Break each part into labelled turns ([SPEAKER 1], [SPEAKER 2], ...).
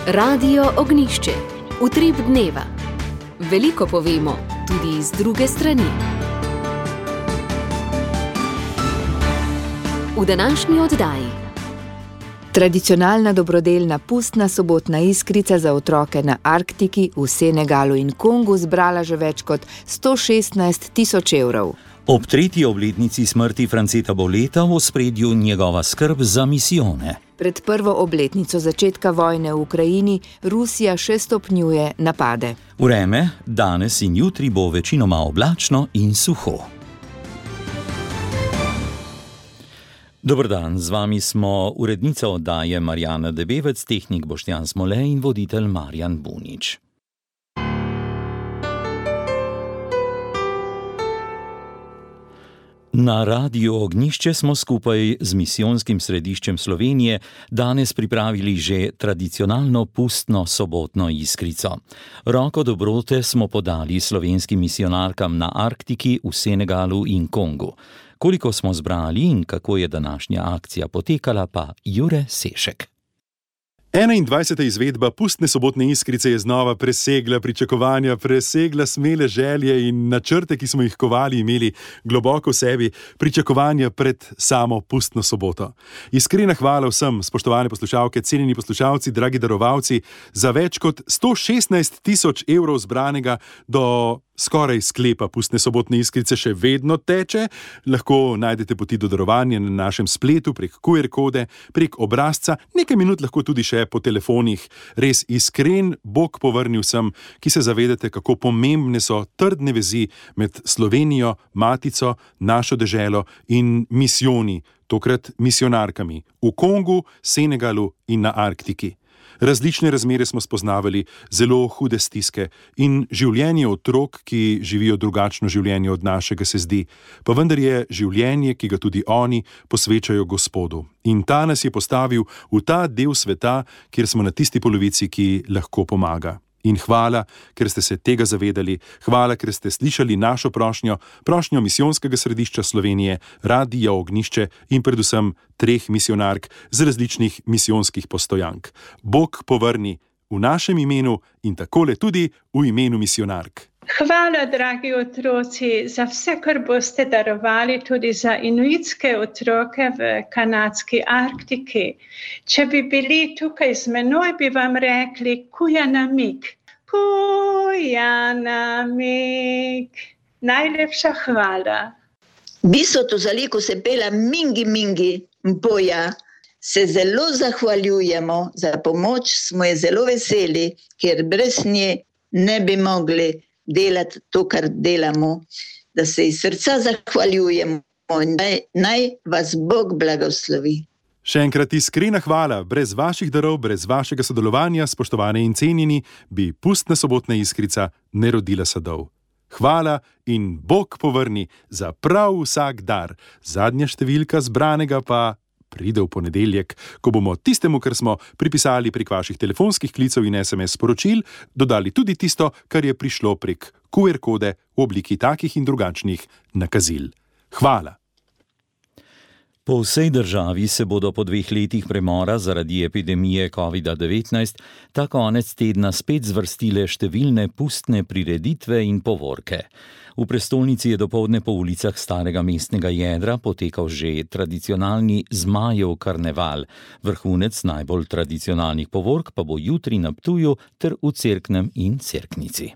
[SPEAKER 1] Radio Ognjišče. Utrip dneva. Veliko povemo, tudi iz druge strani. V današnji oddaji.
[SPEAKER 2] Tradicionalna dobrodelna pustna sobotna iskrica za otroke na Arktiki v Senegalu in Kongu zbrala že več kot 116.000 evrov.
[SPEAKER 3] Ob 3. obletnici smrti Franceta Boleta v ospredju njegova skrb za misijone.
[SPEAKER 2] Pred prvo obletnico začetka vojne v Ukrajini Rusija še stopnjuje napade.
[SPEAKER 3] Vreme danes in jutri bo večinoma oblačno in suho. Dober dan, z vami smo urednica oddaje Marjana Debevec, tehnik Boštjan Smole in voditelj Marjan Bunič. Na Radiu Ognjišče smo skupaj z Misijonskim središčem Slovenije danes pripravili že tradicionalno pustno sobotno iskrico. Roko dobrote smo podali slovenskim misijonarkam na Arktiki, v Senegalu in Kongu. Koliko smo zbrali in kako je današnja akcija potekala, pa Jure Sešek.
[SPEAKER 4] 21. izvedba pustne sobotne iskrice je znova presegla pričakovanja, presegla smele želje in načrte, ki smo jih kovali, imeli globoko v sebi, pričakovanja pred samo pustno soboto. Iskrena hvala vsem, spoštovane poslušalke, cenjeni poslušalci, dragi darovalci, za več kot 116.000 evrov zbranega do skoraj sklepa pustne sobotne iskrice še vedno teče. Lahko najdete poti do darovanja na našem spletu, prek QR kode, prek obrazca, nekaj minut lahko tudi še po telefonih. Res iskren Bog povrnil vsem, ki se zavedate, kako pomembne so trdne vezi med Slovenijo, matico, našo deželo in misijoni, tokrat misijonarkami v Kongu, Senegalu in na Arktiki. Različne razmere smo spoznavali, zelo hude stiske in življenje otrok, ki živijo drugačno življenje od našega, se zdi. Pa vendar je življenje, ki ga tudi oni posvečajo Gospodu. In ta nas je postavil v ta del sveta, kjer smo na tisti polovici, ki lahko pomaga. In hvala, ker ste se tega zavedali, hvala, ker ste slišali našo prošnjo Misijonskega središča Slovenije, Radia Ognjišče in predvsem 3 misijonark z različnih misijonskih postojank. Bog povrni v našem imenu in takole tudi v imenu misijonark.
[SPEAKER 5] Hvala, dragi otroci, za vse, kar boste darovali, tudi za inuitske otroke v kanadski Arktiki. Če bi bili tukaj z menoj, bi vam rekli Kujanamik. Kujanamik. Najlepša hvala.
[SPEAKER 6] Biso Tuzaliku se pela mingi mpoja. Se zelo zahvaljujemo za pomoč, smo je zelo veseli, ker brez nje ne bi mogli delati to, kar delamo, da se iz srca zahvaljujemo in naj vas Bog blagoslovi.
[SPEAKER 4] Še enkrat iskrena hvala, brez vaših darov, brez vašega sodelovanja, spoštovane in cenjeni, bi pustna sobotna iskrica ne rodila sadov. Hvala in Bog povrni za prav vsak dar. Zadnja številka zbranega pa pride v ponedeljek, ko bomo tistemu, kar smo pripisali prek vaših telefonskih klicev in SMS sporočil, dodali tudi tisto, kar je prišlo prek QR kode v obliki takih in drugačnih nakazil. Hvala.
[SPEAKER 3] Po vsej državi se bodo po 2 letih premora zaradi epidemije COVID-19 ta konec tedna spet zvrstile številne pustne prireditve in povorke. V prestolnici je dopoldne po ulicah starega mestnega jedra potekal že tradicionalni Zmajev karneval. Vrhunec najbolj tradicionalnih povork pa bo jutri na Ptuju ter v Cerknem in Cerknici.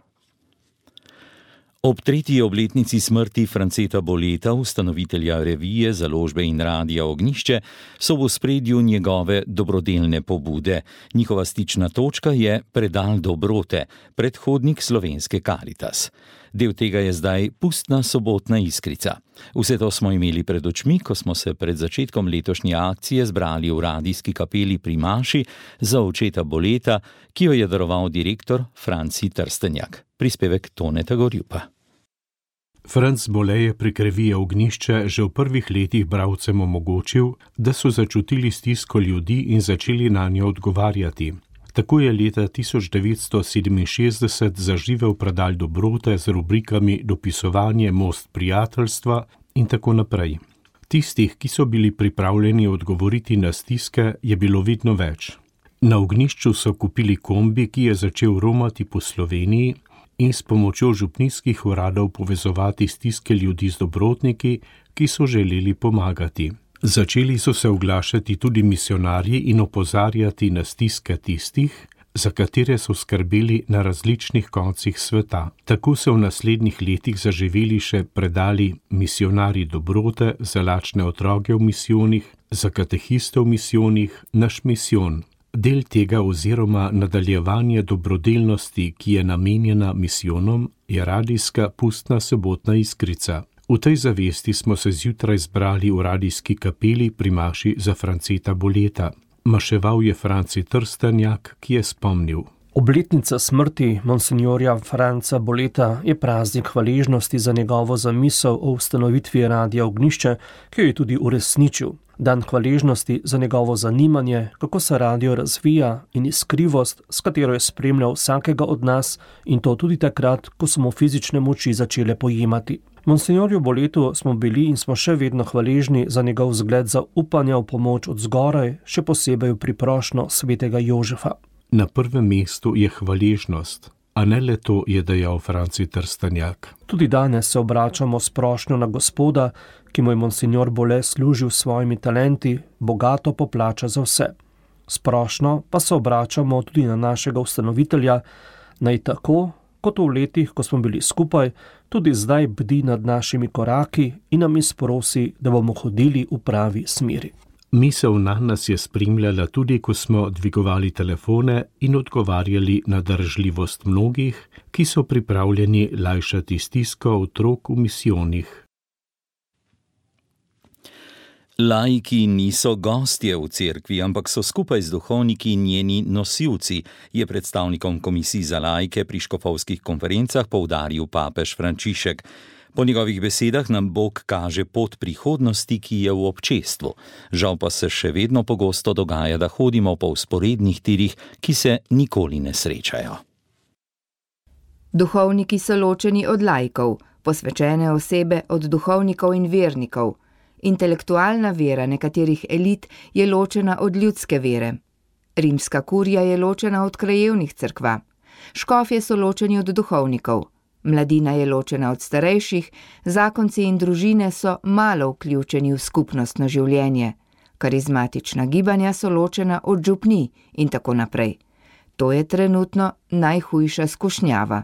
[SPEAKER 3] Ob 3. obletnici smrti Franceta Boleta, ustanovitelja revije, založbe in Radia Ognjišče, so v ospredju njegove dobrodelne pobude. Njihova stična točka je predal dobrote, predhodnik slovenske Karitas. Del tega je zdaj pustna sobotna iskrica. Vse to smo imeli pred očmi, ko smo se pred začetkom letošnje akcije zbrali v radijski kapeli pri maši za očeta Boleta, ki jo je daroval direktor Franci Trstenjak. Prispevek Toneta Gorjupa.
[SPEAKER 7] Franc Bole je prek revije Ognjišče že v prvih letih bralcem omogočil, da so začutili stisko ljudi in začeli nanjo odgovarjati. Tako je leta 1967 zaživel predal dobrote z rubrikami Dopisovanje, Most prijateljstva in tako naprej. Tistih, ki so bili pripravljeni odgovoriti na stiske, je bilo vedno več. Na ognjišču so kupili kombi, ki je začel romati po Sloveniji in s pomočjo župnijskih uradov povezovati stiske ljudi z dobrotniki, ki so želeli pomagati. Začeli so se oglašati tudi misionarji in opozarjati na stiske tistih, za katere so skrbeli na različnih koncih sveta. Tako so v naslednjih letih zaživeli še predali misionarji dobrote za lačne otroke v misijonih, za katehiste v misijonih, naš misijon. Del tega oziroma nadaljevanje dobrodelnosti, ki je namenjena misijonom, je radijska pustna sobotna iskrica. V tej zavesti smo se zjutraj zbrali v radijski kapeli pri maši za Franceta Boleta. Maševal je Franci Trstenjak, ki je spomnil.
[SPEAKER 8] Obletnica smrti monsinjorja Franca Boleta je praznik hvaležnosti za njegovo zamisel o ustanovitvi Radia Ognjišče, ki jo je tudi uresničil. Dan hvaležnosti za njegovo zanimanje, kako se radio razvija in iskrivost, s katero je spremljal vsakega od nas, in to tudi takrat, ko so mu fizične moči začele pojemati. Monsinjorju Boletu smo bili in smo še vedno hvaležni za njegov vzgled zaupanja v pomoč od zgoraj, še posebej v priprošnjo svetega Jožefa.
[SPEAKER 7] Na prvem mestu je hvaležnost, a ne le to, je dejal Franci Trstenjak.
[SPEAKER 8] Tudi danes se obračamo s prošnjo na Gospoda, ki mu je monsinjor Bole služil s svojimi talenti, bogato poplača za vse. S prošnjo pa se obračamo tudi na našega ustanovitelja, naj tako, kot v letih, ko smo bili skupaj, tudi zdaj bdi nad našimi koraki in nam izprosi, da bomo hodili v pravi smeri.
[SPEAKER 7] Misel na nas je spremljala tudi, ko smo dvigovali telefone in odgovarjali na držljivost mnogih, ki so pripravljeni lajšati stisko otrok v misijonih.
[SPEAKER 3] Laiki niso gostje v cerkvi, ampak so skupaj z duhovniki njeni nosilci, je predstavnikom komisij za laike pri škofovskih konferencah poudaril papež Frančišek. Po njegovih besedah nam Bog kaže pot prihodnosti, ki je v občestvu. Žal pa se še vedno pogosto dogaja, da hodimo po vzporednih tirih, ki se nikoli ne srečajo.
[SPEAKER 2] Duhovniki so ločeni od laikov, posvečene osebe od duhovnikov in vernikov. Intelektualna vera nekaterih elit je ločena od ljudske vere. Rimska kurija je ločena od krajevnih cerkva. Škofje so ločeni od duhovnikov. Mladina je ločena od starejših, zakonci in družine so malo vključeni v skupnostno življenje. Karizmatična gibanja so ločena od župnij in tako naprej. To je trenutno najhujša skušnjava.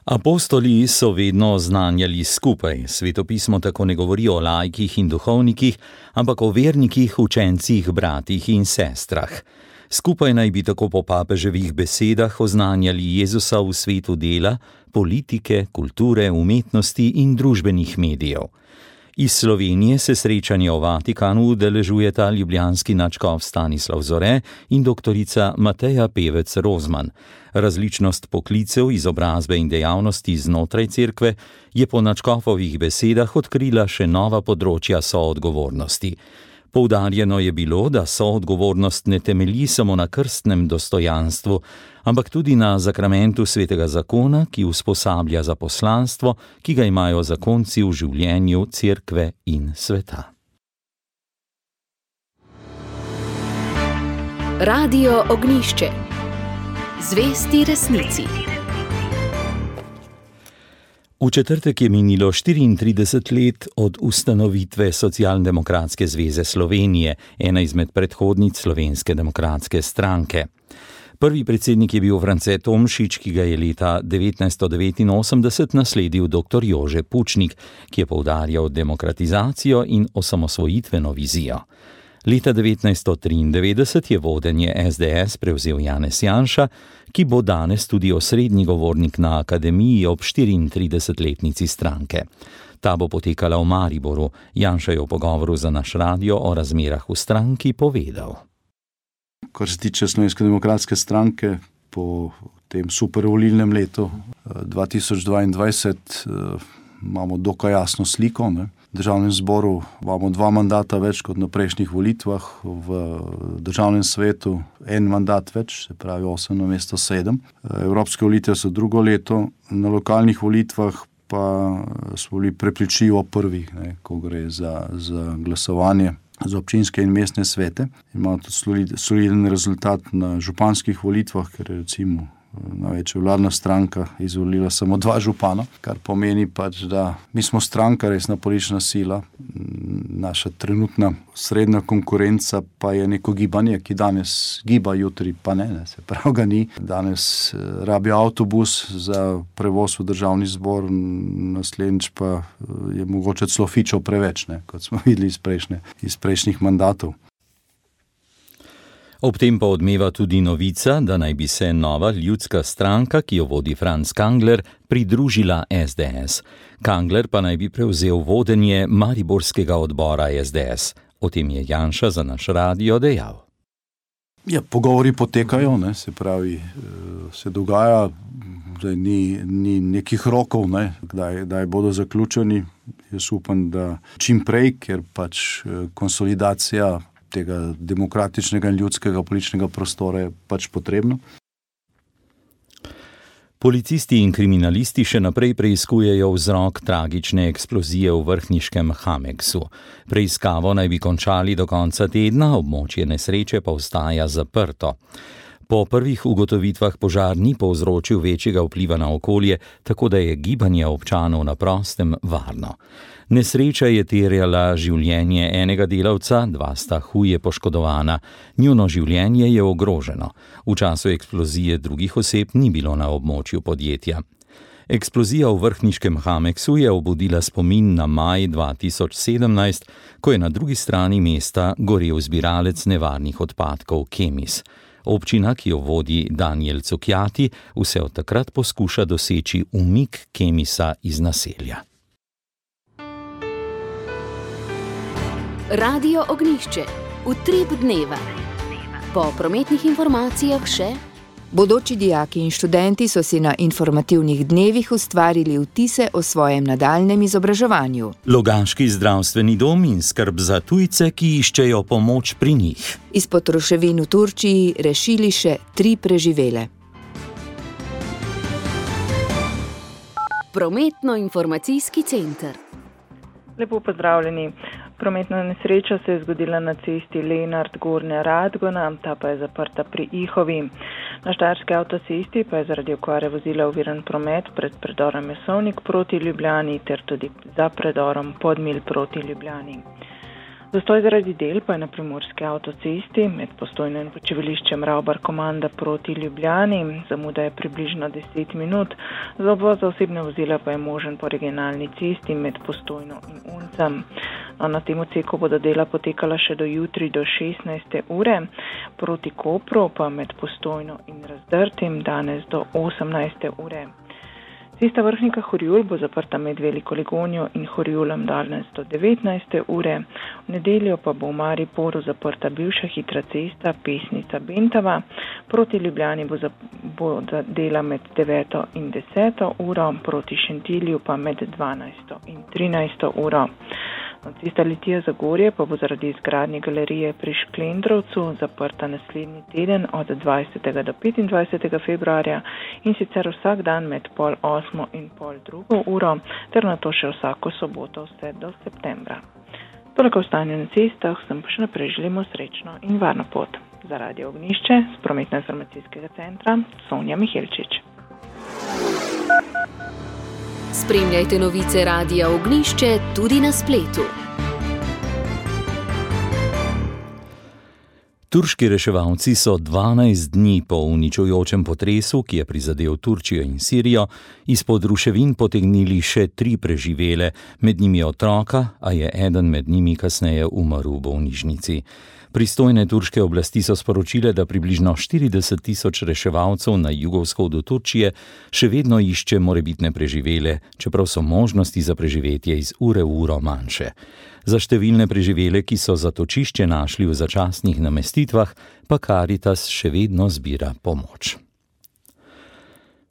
[SPEAKER 3] Apostoli so vedno oznanjali skupaj. Svetopismo tako ne govori o laikih in duhovnikih, ampak o vernikih, učencih, bratih in sestrah. Skupaj naj bi tako po papeževih besedah oznanjali Jezusa v svetu dela, politike, kulture, umetnosti in družbenih medijev. Iz Slovenije se srečanje v Vatikanu udeležujeta ljubljanski nadškof Stanislav Zore in doktorica Mateja Pevec Rozman. Različnost poklicev, izobrazbe in dejavnosti znotraj cerkve je po nadškofovih besedah odkrila še nova področja soodgovornosti. Poudarjeno je bilo, da soodgovornost ne temelji samo na krstnem dostojanstvu, ampak tudi na zakramentu svetega zakona, ki usposablja za poslanstvo, ki ga imajo zakonci v življenju cerkve in sveta.
[SPEAKER 1] Radio Ognjišče. Zvesti resnici.
[SPEAKER 3] V četrtek je minilo 34 let od ustanovitve Socialdemokratske zveze Slovenije, ena izmed predhodnic Slovenske demokratske stranke. Prvi predsednik je bil France Tomšič, ki ga je leta 1989 nasledil dr. Jože Pučnik, ki je poudarjal demokratizacijo in osamosvojitveno vizijo. Leta 1993 je vodenje SDS prevzel Janez Janša, ki bo danes tudi osrednji govornik na akademiji ob 34-letnici stranke. Ta bo potekala v Mariboru. Janša je v pogovoru za naš radio o razmerah v stranki povedal.
[SPEAKER 9] Kar se tiče Slovenske demokratske stranke, po tem supervolilnem letu 2022 imamo dokaj jasno sliko. V državnem zboru imamo 2 mandata več kot na prejšnjih volitvah, v državnem svetu 1 mandat več, se pravi 8 namesto 7. Evropske volitve so drugo leto, na lokalnih volitvah pa smo bili prepričljivo prvi, ko gre za glasovanje. za občinske in mestne svete. Ima tudi soliden rezultat na županskih volitvah, ker je recimo največja vladna stranka izvolila samo 2 župana, kar pomeni pač, da mi smo stranka, resna politična sila, naša trenutna srednja konkurenca pa je neko gibanje, ki danes giba, jutri pa ne, se pravi ga ni. Danes rabi avtobus za prevoz v državni zbor, naslednjič pa je mogoče celo fičo preveč, ne, kot smo videli iz prejšnjih mandatov.
[SPEAKER 3] Ob tem pa odmeva tudi novica, da naj bi se nova ljudska stranka, ki jo vodi Franc Kangler, pridružila SDS. Kangler pa naj bi prevzel vodenje mariborskega odbora SDS. O tem je Janša za naš radio dejal.
[SPEAKER 9] Ja, pogovori potekajo, ne, se pravi, se dogaja, da ni nekih rokov, ne, kdaj bodo zaključeni. Jaz upam, da čim prej, ker pač konsolidacija tega demokratičnega in ljudskega političnega prostora je pač potrebno.
[SPEAKER 3] Policisti in kriminalisti še naprej preiskujejo vzrok tragične eksplozije v vrhniškem Hameksu. Preiskavo naj bi končali do konca tedna, območje nesreče pa ostaja zaprto. Po prvih ugotovitvah požar ni povzročil večjega vpliva na okolje, tako da je gibanje občanov na prostem varno. Nesreča je terjala življenje enega delavca, 2 sta huje poškodovana. Njuno življenje je ogroženo. V času eksplozije drugih oseb ni bilo na območju podjetja. Eksplozija v vrhniškem Hameksu je obudila spomin na maj 2017, ko je na drugi strani mesta gorel zbiralec nevarnih odpadkov Kemis. Občina, ki jo vodi Daniel Cukjati, vse od takrat poskuša doseči umik Kemisa iz naselja.
[SPEAKER 1] Radio Ognjišče. Utrip dneva. Po prometnih informacijah še:
[SPEAKER 2] bodoči dijaki in študenti so si na informativnih dnevih ustvarili vtise o svojem nadaljnjem izobraževanju.
[SPEAKER 3] Logaški zdravstveni dom in skrb za tujce, ki iščejo pomoč pri njih.
[SPEAKER 2] Izpod ruševin v Turčiji rešili še 3 preživele.
[SPEAKER 1] Prometno-informacijski center.
[SPEAKER 10] Lepo pozdravljeni. Prometna nesreča se je zgodila na cesti Lenart-Gornja Radgona, ta pa je zaprta pri Ihovi. Na štajerski avtocesti pa je zaradi okvare vozila oviran promet pred predorom Jesovnik proti Ljubljani ter tudi za predorom Podmilj proti Ljubljani. Zastoj zaradi del pa je na primorski avtocesti med Postojno in počivališčem Ravbar-Komanda proti Ljubljani. Zamuda je približno 10 minut, za obvoz osebne vozila pa je možen po regionalni cesti med Postojno in Uncem. Na tem odseku bodo dela potekala še do jutri do 16. ure, proti Kopru pa med Postojno in Razdrtim danes do 18. ure. Cesta Vrhnika-Horjul bo zaprta med Veliko Ligonjo in Horjulom danes do 19. ure. V nedeljo pa bo v Mariboru zaprta bivša hitra cesta Pesnica-Bentava. Proti Ljubljani bo dela med 9. in 10. uro, proti Šentilju pa med 12. in 13. uro. Cesta Litija-Zagorje pa bo zaradi izgradnje galerije pri Šklendrovcu zaprta naslednji teden od 20. do 25. februarja in sicer vsak dan med 7:30 in 7:30 uro ter nato še vsako soboto vse do septembra. Toliko o stanju na cestah, sem pa še naprej želimo srečno in varno pot. Za Radio Ognjišče z Prometno-informacijskega centra Sonja Mihelčič.
[SPEAKER 1] Spremljajte novice Radia Ognjišče tudi na spletu.
[SPEAKER 3] Turški reševalci so 12 dni po uničujočem potresu, ki je prizadel Turčijo in Sirijo, izpod ruševin potegnili še 3 preživele, med njimi otroka, a je eden med njimi kasneje umrl v bolnišnici. Pristojne turške oblasti so sporočile, da približno 40.000 reševalcev na jugovzhodu Turčije še vedno išče morebitne preživele, čeprav so možnosti za preživetje iz ure v uro manjše. Za številne preživele, ki so zatočišče našli v začasnih namestitvah, pa Caritas še vedno zbira pomoč.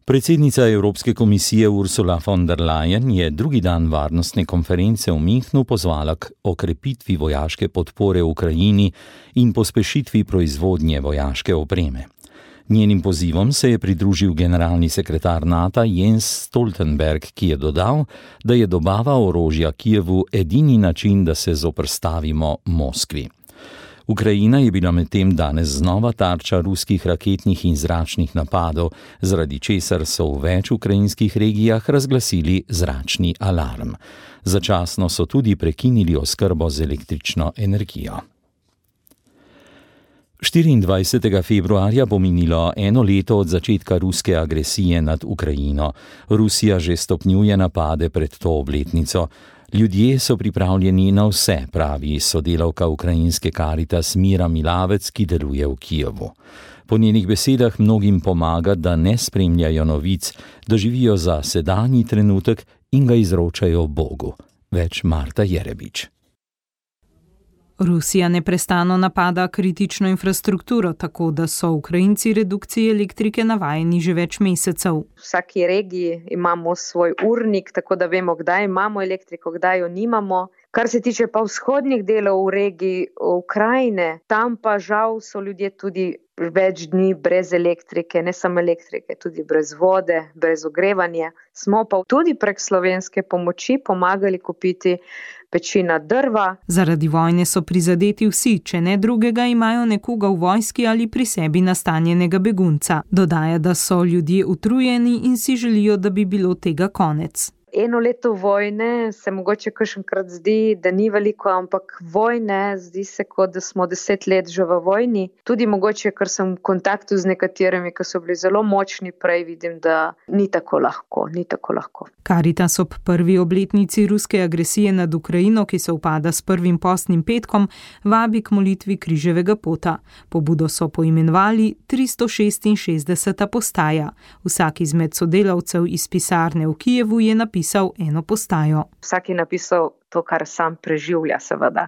[SPEAKER 3] Predsednica Evropske komisije Ursula von der Leyen je drugi dan varnostne konference v Münchnu pozvala k okrepitvi vojaške podpore Ukrajini in pospešitvi proizvodnje vojaške opreme. Njenim pozivom se je pridružil generalni sekretar NATO Jens Stoltenberg, ki je dodal, da je dobava orožja Kijevu edini način, da se zoperstavimo Moskvi. Ukrajina je bila medtem danes znova tarča ruskih raketnih in zračnih napadov, zaradi česar so v več ukrajinskih regijah razglasili zračni alarm. Začasno so tudi prekinili oskrbo z električno energijo. 24. februarja bo minilo 1 leto od začetka ruske agresije nad Ukrajino. Rusija že stopnjuje napade pred to obletnico. Ljudje so pripravljeni na vse, pravi sodelavka ukrajinske Caritas Mira Milavec, ki deluje v Kijevu. Po njenih besedah mnogim pomaga, da ne spremljajo novic, da živijo za sedanji trenutek in ga izročajo Bogu. Več Marta Jerebič.
[SPEAKER 11] Rusija neprestano napada kritično infrastrukturo, tako da so Ukrajinci redukcije elektrike navajeni že več mesecev.
[SPEAKER 12] V vsaki regiji imamo svoj urnik, tako da vemo, kdaj imamo elektriko, kdaj jo nimamo. Kar se tiče pa vzhodnih delov v regiji Ukrajine, tam pa žal so ljudje tudi več dni brez elektrike, ne samo elektrike, tudi brez vode, brez ogrevanja. Smo pa tudi prek slovenske pomoči pomagali kupiti pečina drva.
[SPEAKER 11] Zaradi vojne so prizadeti vsi, če ne drugega imajo nekoga v vojski ali pri sebi nastanjenega begunca. Dodaja, da so ljudje utrujeni in si želijo, da bi bilo tega konec.
[SPEAKER 12] 1 leto vojne se mogoče kakšenkrat zdi, da ni veliko, ampak vojne zdi se, kot da smo 10 let že v vojni. Tudi mogoče, ker sem v kontaktu z nekaterimi, ki so bili zelo močni prej, vidim, da ni tako lahko.
[SPEAKER 11] Caritas ob prvi obletnici ruske agresije nad Ukrajino, ki se upada s prvim postnim petkom, vabi k molitvi križevega pota. Pobudo so poimenovali 366. postaja. Vsak izmed sodelavcev iz pisarne v Kijevu je napisal eno postajo.
[SPEAKER 12] Vsak je napisal to, kar sam preživlja, seveda.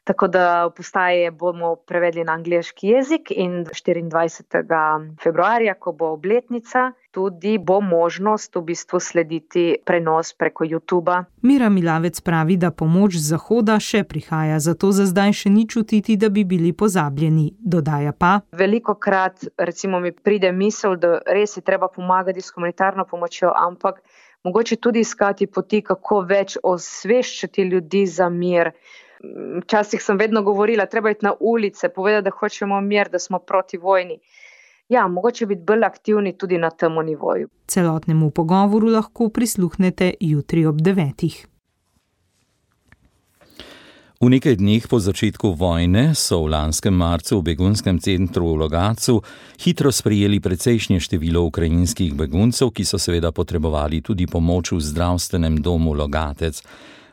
[SPEAKER 12] Tako da postaje bomo prevedli na angleški jezik in 24. februarja, ko bo obletnica, tudi bo možnost v bistvu slediti prenos preko YouTubea.
[SPEAKER 11] Mira Milavec pravi, da pomoč z zahoda še prihaja, zato za zdaj še ni čutiti, da bi bili pozabljeni. Dodaja pa:
[SPEAKER 12] velikokrat recimo mi pride misel, da res je treba pomagati s humanitarno pomočjo, ampak mogoče tudi iskati poti, kako več osveščati ljudi za mir. Včasih sem vedno govorila, treba iti na ulice, povedati, da hočemo mir, da smo proti vojni. Ja, mogoče biti bolj aktivni tudi na tem nivoju.
[SPEAKER 11] Celotnemu pogovoru lahko prisluhnete jutri ob 9.
[SPEAKER 3] V nekaj dneh po začetku vojne so v lanskem marcu v begunskem centru v Logatcu hitro sprejeli precejšnje število ukrajinskih beguncev, ki so seveda potrebovali tudi pomoč v zdravstvenem domu Logatec.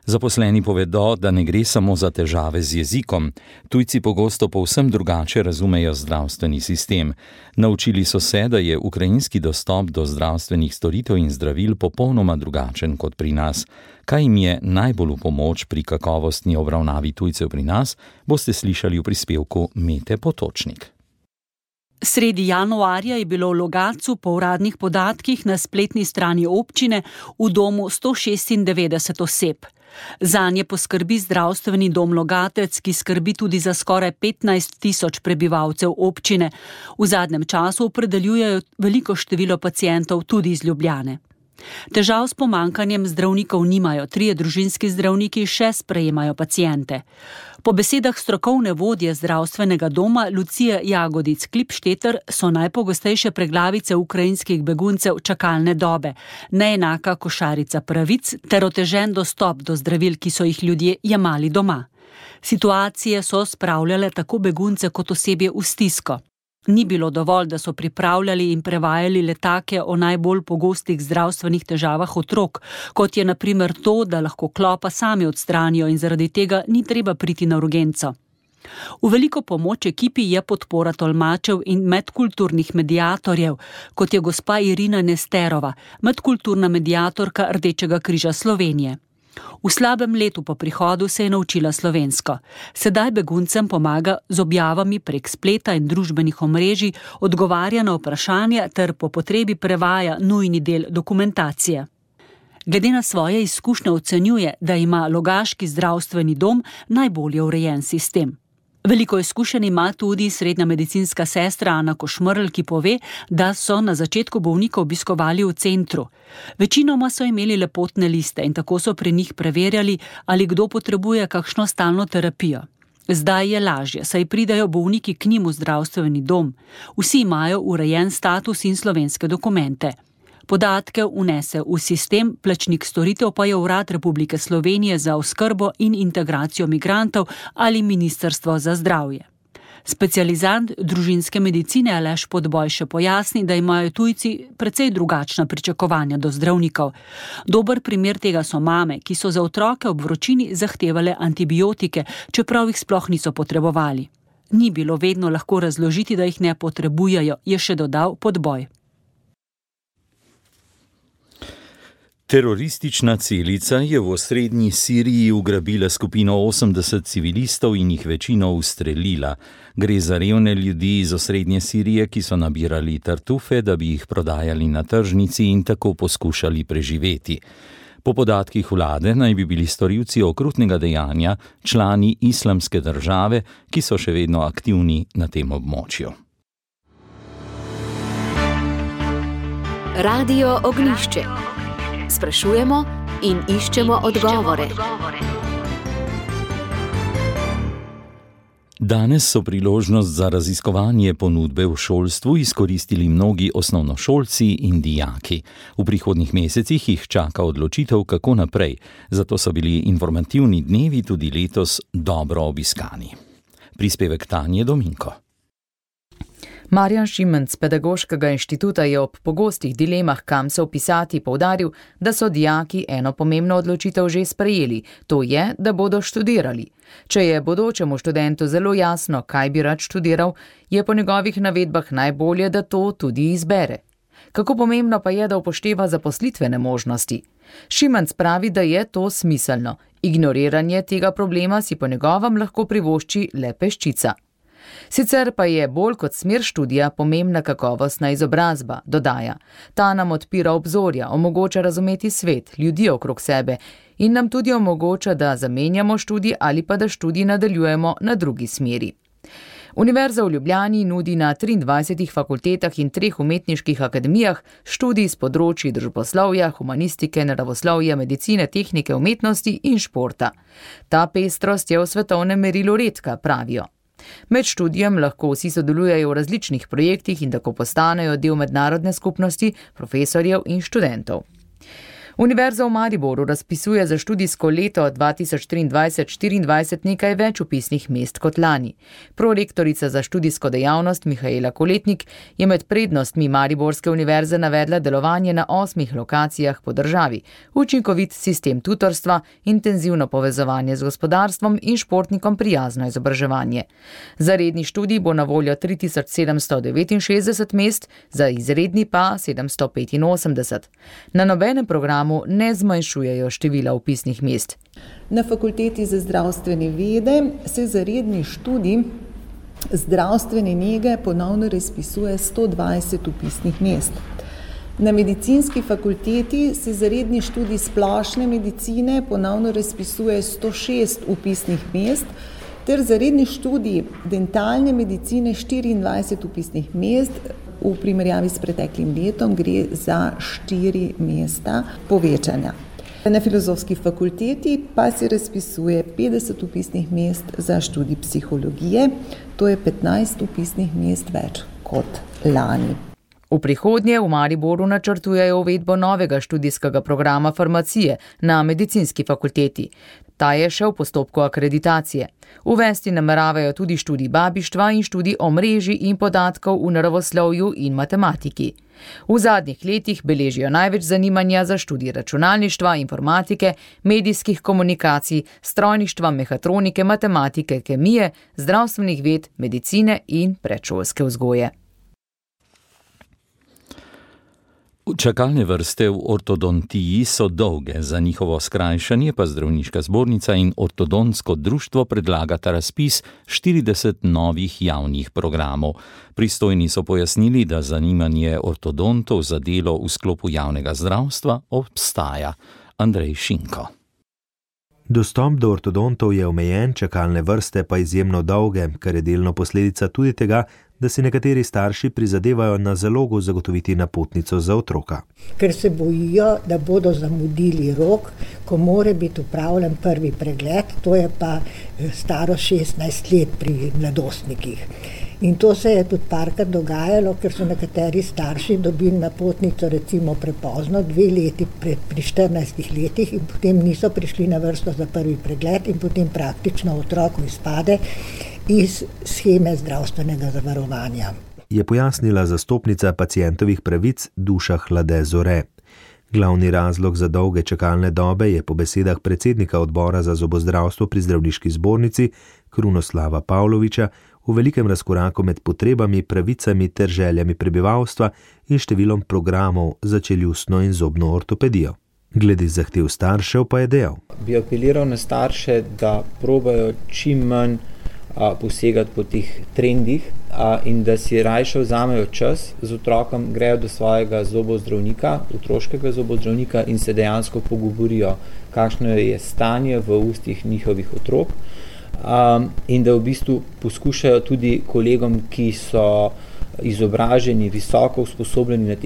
[SPEAKER 3] Zaposleni povedo, da ne gre samo za težave z jezikom. Tujci pogosto povsem drugače razumejo zdravstveni sistem. Naučili so se, da je ukrajinski dostop do zdravstvenih storitev in zdravil popolnoma drugačen kot pri nas. Kaj jim je najbolj v pomoč pri kakovostni obravnavi tujcev pri nas, boste slišali v prispevku Mete Potočnik.
[SPEAKER 13] Sredi januarja je bilo v Logatcu po uradnih podatkih na spletni strani občine v domu 196 oseb. Zanje poskrbi zdravstveni dom Logatec, ki skrbi tudi za skoraj 15 000 prebivalcev občine. V zadnjem času opredeljujejo veliko število pacientov tudi iz Ljubljane. Težav s pomanjkanjem zdravnikov nimajo, 3 družinski zdravniki še sprejemajo paciente. Po besedah strokovne vodje zdravstvenega doma Lucije Jagodic-Klipšteter so najpogostejše preglavice ukrajinskih beguncev čakalne dobe, neenaka košarica pravic ter otežen dostop do zdravil, ki so jih ljudje jemali doma. Situacije so spravljale tako begunce kot osebje v stisko. Ni bilo dovolj, da so pripravljali in prevajali letake o najbolj pogostih zdravstvenih težavah otrok, kot je na primer to, da lahko klopa sami odstranijo in zaradi tega ni treba priti na urgenco. V veliko pomoč ekipi je podpora tolmačev in medkulturnih mediatorjev, kot je gospa Irina Nesterova, medkulturna mediatorka Rdečega križa Slovenije. V slabem letu po prihodu se je naučila slovensko. Sedaj beguncem pomaga z objavami prek spleta in družbenih omrežij, odgovarja na vprašanja ter po potrebi prevaja nujni del dokumentacije. Glede na svoje izkušnje ocenjuje, da ima logaški zdravstveni dom najbolje urejen sistem. Veliko izkušenj ima tudi srednja medicinska sestra Ana Košmrl, ki pove, da so na začetku bolnika obiskovali v centru. Večinoma so imeli lepotne liste in tako so pri njih preverjali, ali kdo potrebuje kakšno stalno terapijo. Zdaj je lažje, saj pridajo bolniki k njim v zdravstveni dom. Vsi imajo urejen status in slovenske dokumente. Podatke vnese v sistem, plačnik storitev pa je Urad Republike Slovenije za oskrbo in integracijo migrantov ali Ministrstvo za zdravje. Specializant družinske medicine Aleš Podboj še pojasni, da imajo tujci precej drugačna pričakovanja do zdravnikov. Dober primer tega so mame, ki so za otroke ob vročini zahtevale antibiotike, čeprav jih sploh niso potrebovali. Ni bilo vedno lahko razložiti, da jih ne potrebujejo, je še dodal Podboj.
[SPEAKER 3] Teroristična celica je v osrednji Siriji ugrabila skupino 80 civilistov in jih večino ustrelila. Gre za revne ljudi iz osrednje Sirije, ki so nabirali tartufe, da bi jih prodajali na tržnici in tako poskušali preživeti. Po podatkih vlade naj bi bili storilci okrutnega dejanja člani Islamske države, ki so še vedno aktivni na tem območju.
[SPEAKER 1] Radio Ognjišče. Sprašujemo in iščemo odgovore.
[SPEAKER 3] Danes so priložnost za raziskovanje ponudbe v šolstvu izkoristili mnogi osnovnošolci in dijaki. V prihodnjih mesecih jih čaka odločitev, kako naprej, zato so bili informativni dnevi tudi letos dobro obiskani. Prispevek Tanje Dominko.
[SPEAKER 2] Marjan Šimenc z Pedagoškega inštituta je ob pogostih dilemah, kam se vpisati, poudaril, da so dijaki eno pomembno odločitev že sprejeli, to je, da bodo študirali. Če je bodočemu študentu zelo jasno, kaj bi rad študiral, je po njegovih navedbah najbolje, da to tudi izbere. Kako pomembno pa je, da upošteva zaposlitvene možnosti? Šimenc pravi, da je to smiselno. Ignoriranje tega problema si po njegovem lahko privošči le peščica. Sicer pa je bolj kot smer študija pomembna kakovostna izobrazba, dodaja. Ta nam odpira obzorja, omogoča razumeti svet, ljudi okrog sebe in nam tudi omogoča, da zamenjamo študij ali pa da študij nadaljujemo na drugi smeri. Univerza v Ljubljani nudi na 23 fakultetah in 3 umetniških akademijah študij z področji družboslovja, humanistike, naravoslovja, medicine, tehnike, umetnosti in športa. Ta pestrost je v svetovnem merilu redka, pravijo. Med študijem lahko vsi sodelujejo v različnih projektih in tako postanejo del mednarodne skupnosti profesorjev in študentov. Univerza v Mariboru razpisuje za študijsko leto 2023-2024 nekaj več vpisnih mest kot lani. Prorektorica za študijsko dejavnost Mihaela Koletnik je med prednostmi Mariborske univerze navedla delovanje na 8 lokacijah po državi, učinkovit sistem tutorstva, intenzivno povezovanje z gospodarstvom in športnikom prijazno izobraževanje. Za redni študij bo na voljo 3769 mest, za izredni pa 785. Na nobenem programu ne zmanjšujejo števila vpisnih mest.
[SPEAKER 14] Na Fakulteti za zdravstvene vede se za redni študij zdravstvene nege ponovno razpisuje 120 vpisnih mest. Na Medicinski fakulteti se za redni študij splošne medicine ponovno razpisuje 106 vpisnih mest, ter za redni študij dentalne medicine 24 vpisnih mest. V primerjavi s preteklim letom gre za 4 mesta povečanja. Na Filozofski fakulteti pa se razpisuje 50 vpisnih mest za študij psihologije, to je 15 vpisnih mest več kot lani.
[SPEAKER 2] V prihodnje v Mariboru načrtujejo uvedbo novega študijskega programa farmacije na Medicinski fakulteti. Ta je še v postopku akreditacije. Uvesti nameravajo tudi študij babištva in študij omrežij in podatkov v naravoslovju in matematiki. V zadnjih letih beležijo največ zanimanja za študij računalništva, informatike, medijskih komunikacij, strojništva, mehatronike, matematike, kemije, zdravstvenih ved, medicine in predšolske vzgoje.
[SPEAKER 3] Čakalne vrste v ortodontiji so dolge, za njihovo skrajšanje pa Zdravniška zbornica in Ortodontsko društvo predlagata razpis 40 novih javnih programov. Pristojni so pojasnili, da zanimanje ortodontov za delo v sklopu javnega zdravstva obstaja. Andrej Šinko.
[SPEAKER 15] Dostop do ortodontov je omejen, čakalne vrste pa izjemno dolge, kar je delno posledica tudi tega, da si nekateri starši prizadevajo na zalogo zagotoviti napotnico za otroka.
[SPEAKER 16] Ker se bojijo, da bodo zamudili rok, ko mora biti upravljen prvi pregled, to je pa staro 16 let pri mladostnikih. In to se je tudi parkrat dogajalo, ker so nekateri starši dobili napotnico recimo prepozno, 2 leti pri 14 letih in potem niso prišli na vrsto za prvi pregled in potem praktično otroku izpade iz sheme zdravstvenega zavarovanja.
[SPEAKER 15] Je pojasnila zastopnica pacientovih pravic Duša Hlade Zore. Glavni razlog za dolge čakalne dobe je po besedah predsednika odbora za zobozdravstvo pri Zdravniški zbornici Krunoslava Pavloviča v velikem razkoraku med potrebami, pravicami ter željami prebivalstva in številom programov za čeljustno in zobno ortopedijo. Glede zahtev staršev pa je dejal:
[SPEAKER 17] Bi apeliral na starše, da probajo čim manj posegati po teh trendih in da si rajše vzamejo čas z otrokom, grejo do svojega zobozdravnika, otroškega zobozdravnika in se dejansko pogovorijo, kakšno je stanje v ustih njihovih otrok in da v bistvu poskušajo tudi kolegom, ki so izobraženi, visoko usposobljeni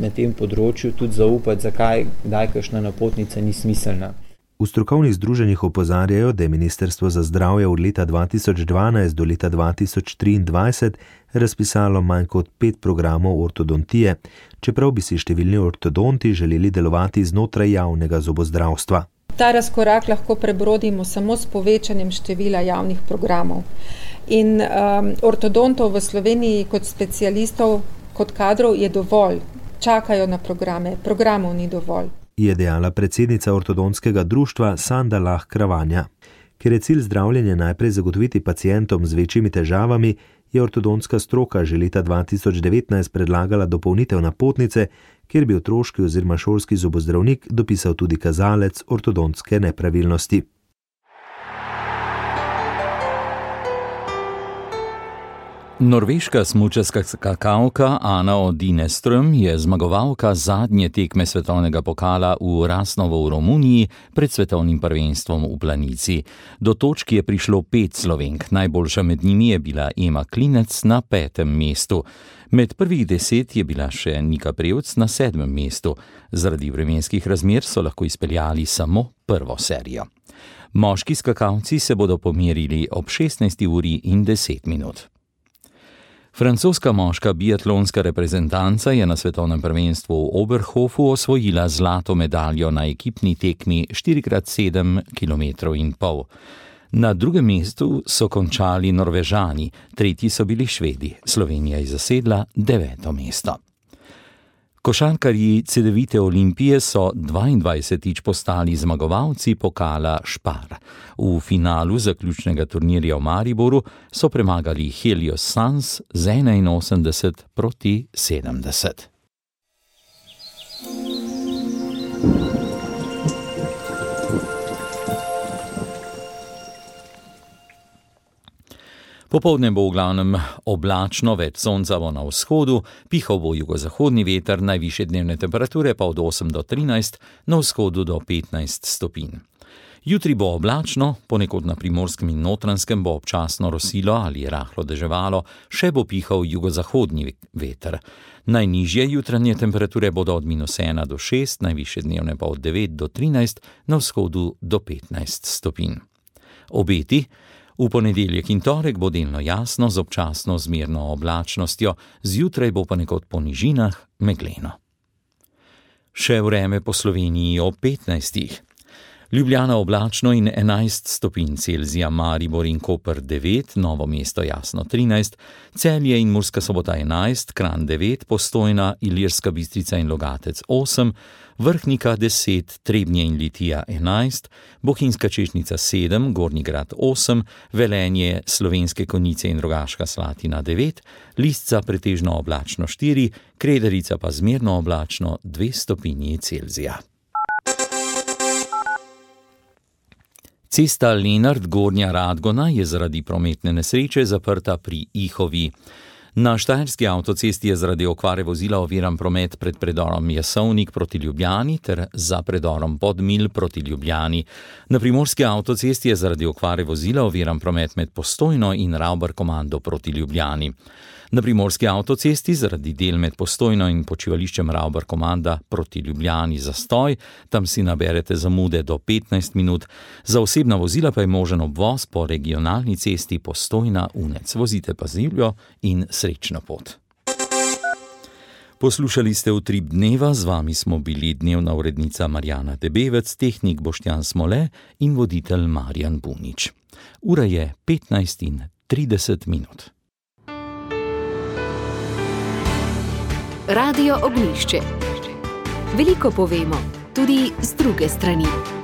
[SPEAKER 17] na tem področju, tudi zaupati, zakaj kakšna napotnica ni smiselna.
[SPEAKER 15] V strokovnih združenjih opozarjajo, da je Ministrstvo za zdravje od leta 2012 do leta 2023 razpisalo manj kot 5 programov ortodontije, čeprav bi si številni ortodonti želeli delovati znotraj javnega zobozdravstva.
[SPEAKER 18] Ta razkorak lahko prebrodimo samo s povečanjem števila javnih programov. In ortodontov v Sloveniji kot specialistov, kot kadrov je dovolj. Čakajo na programe, programov ni dovolj.
[SPEAKER 15] Je dejala predsednica ortodontskega društva Sanda Lah Kravanja. Ker je cilj zdravljenja najprej zagotoviti pacientom z večjimi težavami, je ortodontska stroka že leta 2019 predlagala dopolnitev napotnice, kjer bi otroški oziroma šolski zobozdravnik dopisal tudi kazalec ortodontske nepravilnosti.
[SPEAKER 3] Norveška smučarska skakalka Anna Odineström je zmagovalka zadnje tekme svetovnega pokala v Rasnovo v Romuniji pred svetovnim prvenstvom v Planici. Do točk je prišlo 5 Slovenk, najboljša med njimi je bila Ema Klinec na 5. mestu. Med prvih 10 je bila še Nika Prevc na 7. mestu. Zaradi vremenskih razmer so lahko izpeljali samo prvo serijo. Moški skakalci se bodo pomerili ob 16:10. Francoska moška biatlonska reprezentanca je na svetovnem prvenstvu v Oberhofu osvojila zlato medaljo na ekipni tekmi 4x7,5 km. Na drugem mestu so končali Norvežani, tretji so bili Švedi. Slovenija je zasedla 9. mesto. Košarkarji Cedevite Olimpije so 22. postali zmagovalci pokala Špar. V finalu zaključnega turnirja v Mariboru so premagali Helios Sans z 81-70. Popoldne bo v glavnem oblačno, več sonca bo na vzhodu, pihal bo jugozahodni veter, najvišje dnevne temperature pa od 8 do 13, na vzhodu do 15 stopinj. Jutri bo oblačno, ponekod na Primorskem in Notranjskem bo občasno rosilo ali rahlo deževalo, še bo pihal jugozahodni veter. Najnižje jutranje temperature bodo od -1 do 6, najvišje dnevne pa od 9 do 13, na vzhodu do 15 stopinj. Obeti: v ponedeljek in torek bo delno jasno z občasno zmerno oblačnostjo, zjutraj bo ponekod po nižinah megleno. Še vreme po Sloveniji ob 15. Ljubljana oblačno in 11 stopinj Celzija, Maribor in Koper 9, Novo mesto jasno 13, Celje in Murska Sobota 11, Kranj 9, Postojna, Ilirska Bistrica in Logatec 8, Vrhnika 10, Trebnje in Litija 11, Bohinjska Češnica 7, Gornji Grad 8, Velenje, Slovenske Konjice in Rogaška Slatina 9, Lisca pretežno oblačno 4, Krederica pa zmerno oblačno 2 stopinji Celzija. Cesta Lenart Gornja Radgona je zaradi prometne nesreče zaprta pri Ihovi. Na Štajerski avtocesti je zaradi okvare vozila oviran promet pred predorom Jesovnik proti Ljubljani ter za predorom Podmilj proti Ljubljani. Na Primorski avtocesti je zaradi okvare vozila oviran promet med Postojno in Ravbarkomando proti Ljubljani. Na Primorski avtocesti zaradi del med Postojno in počivališčem Ravbarkomanda proti Ljubljani zastoj, tam si naberete zamude do 15 minut. Za osebna vozila pa je možen obvoz po regionalni cesti Postojna-Unec. Vozite pazljivo in srečno pot. Poslušali ste Utrip dneva, z vami smo bili dnevna urednica Marjana Debevec, tehnik Boštjan Smole in voditelj Marjan Bunič. Ura je 15:30.
[SPEAKER 1] Radio Ognjišče. Veliko povemo, tudi z druge strani.